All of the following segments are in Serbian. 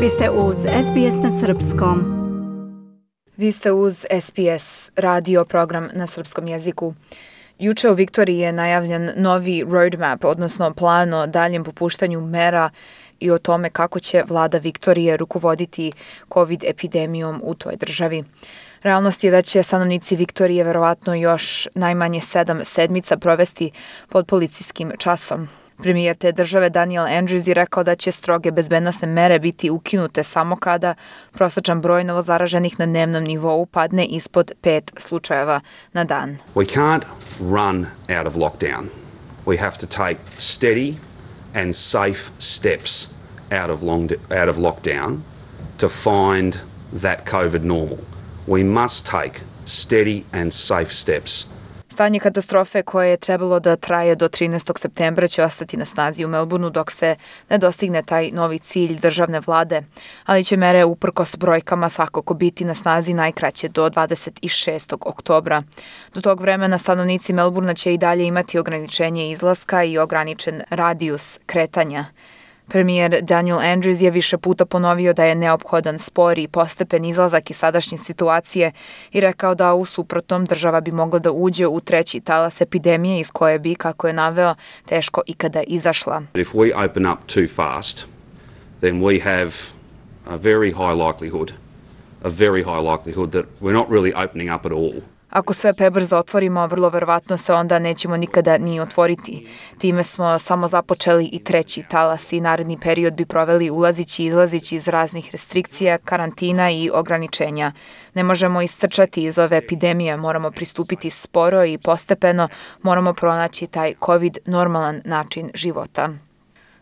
Vi ste uz SBS na srpskom. Vi ste uz SBS radio program na srpskom jeziku. Juče u Viktoriji je najavljen novi roadmap, odnosno plan o daljem popuštanju mera i o tome kako će vlada Viktorije rukovoditi COVID epidemijom u toj državi. Realnost je da će stanovnici Viktorije verovatno još najmanje 7 sedmica provesti pod policijskim časom. Premijer te države Daniel Andrews je rekao da će stroge bezbednosne mere biti ukinute samo kada prosječan broj novozaraženih na dnevnom nivou padne ispod 5 slučajeva na dan. We can't run out of lockdown. We have to take steady and safe steps out of lockdown to find that COVID normal. We must take steady and safe steps. Stanje katastrofe koje je trebalo da traje do 13. septembra će ostati na snazi u Melbourneu dok se ne dostigne taj novi cilj državne vlade, ali će mere uprkos brojkama svakako biti na snazi najkraće do 26. oktobra. Do tog vremena stanovnici Melbournea će i dalje imati ograničenje izlaska i ograničen radijus kretanja. Premijer Daniel Andrews je više puta ponovio da je neophodan spori i postepen izlazak iz sadašnje situacije i rekao da u suprotnom država bi mogla da uđe u treći talas epidemije iz koje bi, kako je naveo, teško ikada izašla. If we open up too fast, then we have a very high likelihood that we're not really opening up at all. Ako sve prebrzo otvorimo, vrlo verovatno se onda nećemo nikada ni otvoriti. Time smo samo započeli i treći talas i naredni period bi proveli ulazići i izlazići iz raznih restrikcija, karantina i ograničenja. Ne možemo iscrčati iz ove epidemije, moramo pristupiti sporo i postepeno, moramo pronaći taj COVID normalan način života.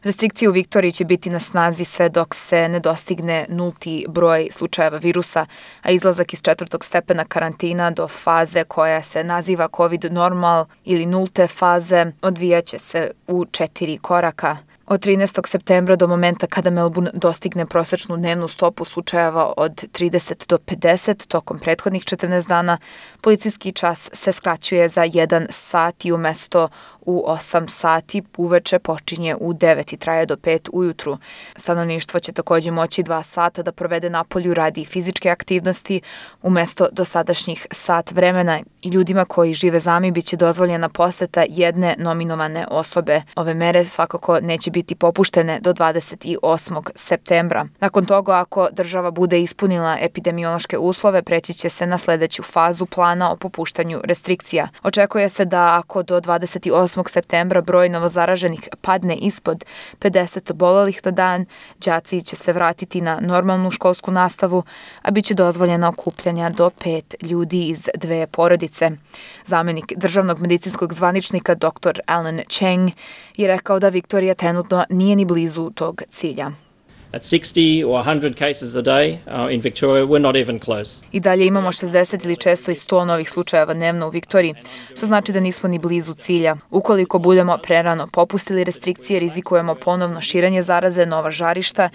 Restrikcije u Viktoriji će biti na snazi sve dok se ne dostigne nulti broj slučajeva virusa, a izlazak iz 4. stepena karantina do faze koja se naziva COVID normal ili nulte faze odvijaće se u 4 koraka. Od 13. septembra do momenta kada Melbourne dostigne prosečnu dnevnu stopu slučajeva od 30 do 50 tokom prethodnih 14 dana, policijski čas se skraćuje za 1 sat i umesto u 8 sati uveče počinje u 9 i traje do 5 ujutru. Stanovništvo će također moći 2 sata da provede napolju radi fizičke aktivnosti umesto dosadašnjih sat vremena i ljudima koji žive sami biće dozvoljena poseta jedne nominovane osobe. Ove mere svakako neće biti popuštene do 28. septembra. Nakon toga, ako država bude ispunila epidemiološke uslove, preći će se na sljedeću fazu plana o popuštanju restrikcija. Očekuje se da ako do 28. septembra broj novozaraženih padne ispod 50 obolelih na dan, đaci će se vratiti na normalnu školsku nastavu, a bit će dozvoljena okupljanja do 5 ljudi iz 2 porodice. Zamenik državnog medicinskog zvaničnika dr. Alan Cheng je rekao da Viktorija trenutno nije ni blizu tog cilja. At 60 or 100 cases a day in Victoria, we're not even close. I dalje imamo 60 ili često i 100 novih slučajeva dnevno u Viktoriji, što znači da nismo ni blizu cilja. Ukoliko budemo prerano popustili restrikcije, rizikujemo ponovno širenje zaraze, nova žarišta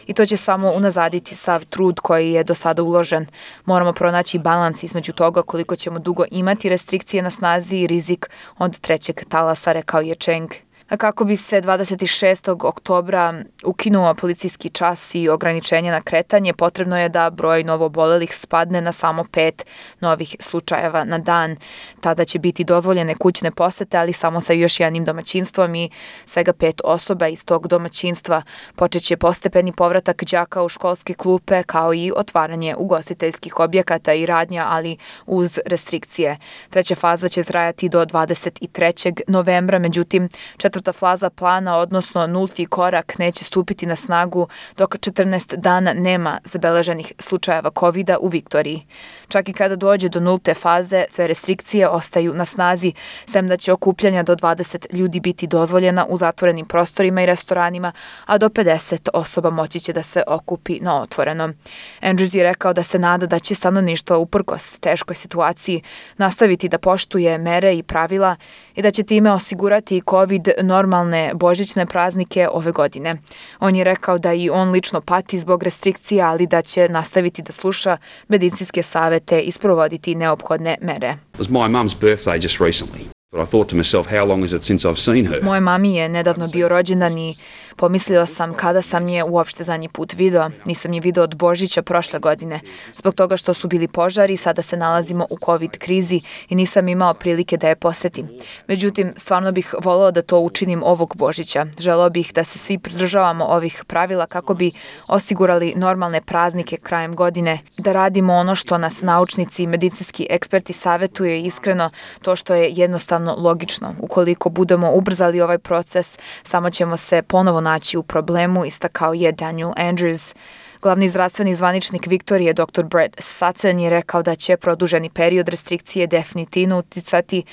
i to će samo unazaditi sav trud koji je do sada uložen. Moramo pronaći balans između toga koliko ćemo dugo imati restrikcije na snazi i rizik od trećeg talasa, rekao je Cheng. A kako bi se 26. oktobra ukinuo policijski čas i ograničenje na kretanje, potrebno je da broj novoobolelih spadne na samo 5 novih slučajeva na dan. Tada će biti dozvoljene kućne posete, ali samo sa još jednim domaćinstvom i svega 5 osoba iz tog domaćinstva. Počeće postepeni povratak đaka u školske klupe, kao i otvaranje ugostiteljskih objekata i radnja, ali uz restrikcije. Treća faza će trajati do 23. novembra, međutim, četvrta faza plana, odnosno nulti korak, neće stupiti na snagu dok 14 dana nema zabeleženih slučajeva COVID-a u Viktoriji. Čak i kada dođe do nulte faze, sve restrikcije ostaju na snazi, sem da će okupljanja do 20 ljudi biti dozvoljena u zatvorenim prostorima i restoranima, a do 50 osoba moći će da se okupi na otvorenom. Andrews je rekao da se nada da će stanovništvo uprkos teškoj situaciji nastaviti da poštuje mere i pravila i da će time osigurati COVID normalne božićne praznike ove godine. On je rekao da i on lično pati zbog restrikcija, ali da će nastaviti da sluša medicinske savete i sprovoditi neophodne mere. It was my mum's birthday just recently. But I thought to myself, how long is it since I've seen her? Moje mami je nedavno bio rođendan i Pomislio sam kada sam je uopšte zadnji put video. Nisam je video od Božića prošle godine. Zbog toga što su bili požari, sada se nalazimo u COVID krizi i nisam imao prilike da je posetim. Međutim, stvarno bih voleo da to učinim ovog Božića. Želeo bih da se svi pridržavamo ovih pravila kako bi osigurali normalne praznike krajem godine, da radimo ono što nas naučnici i medicinski eksperti savetuje iskreno, to što je jednostavno logično. Ukoliko budemo ubrzali ovaj proces, samo ćemo se ponovo naći u problemu, istakao je Daniel Andrews. Glavni zdravstveni zvaničnik Viktorije, dr. Brett Sutton, je rekao da će produženi period restrikcije definitivno uticati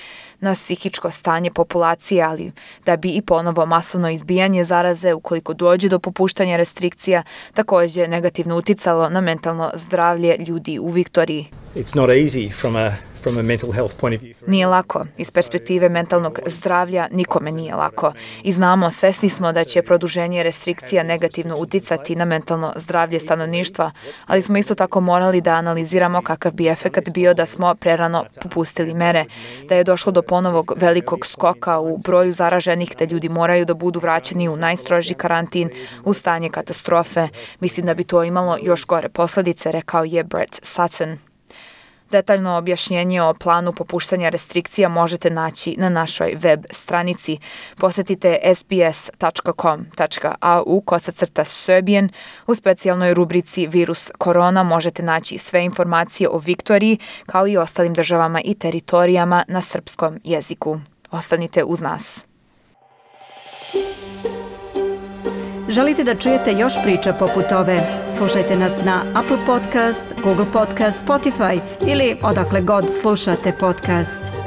na psihičko stanje populacije, ali da bi i ponovo masovno izbijanje zaraze, ukoliko dođe do popuštanja restrikcija, također negativno uticalo na mentalno zdravlje ljudi u Viktoriji. It's not easy from a mental health point of view. Nije lako. Iz perspektive mentalnog zdravlja nikome nije lako. I znamo, svesni smo da će produženje restrikcija negativno uticati na mentalno zdravlje stanovništva, ali smo isto tako morali da analiziramo kakav bi efekat bio da smo prerano popustili mere, da je došlo do ponovog velikog skoka u broju zaraženih, da ljudi moraju da budu vraćeni u najstroži karantin, u stanje katastrofe. Mislim da bi to imalo još gore posledice, rekao je Brett Sutton. Detaljno objašnjenje o planu popuštanja restrikcija možete naći na našoj web stranici. Posetite sbs.com.au/Serbian. U specijalnoj rubrici Virus korona možete naći sve informacije o Viktoriji, kao i ostalim državama i teritorijama na srpskom jeziku. Ostanite uz nas. Želite da čujete još priča poput ove? Slušajte nas na Apple Podcast, Google Podcast, Spotify ili odakle god slušate podcast.